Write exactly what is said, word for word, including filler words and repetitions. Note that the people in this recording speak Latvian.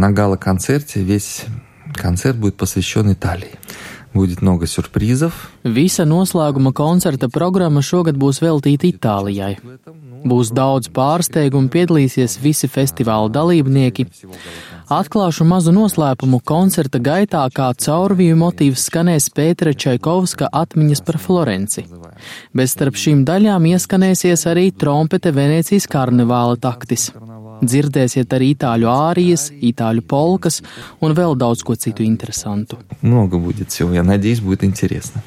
на гала-концерте весь концерт будет посвящен Италии. Будет много сюрпризов. Visa noslēguma koncerta programma šogad būs veltīta Itālijai. Būs daudz pārsteigumu, piedalīsies visi festivāla dalībnieki. Atklāšu mazu noslēpumu koncerta gaitā, kā caurviju motīvs skanēs Pētera Čaikovska atmiņas par Florenci. Bet starp šīm daļām ieskanēsies arī trompete Venēcijas karnevāla taktis. Dzirdēsiet arī itāļu ārijas, itāļu polkas un vēl daudz ko citu interesantu. Много будет всего, я надеюсь, будет интересно.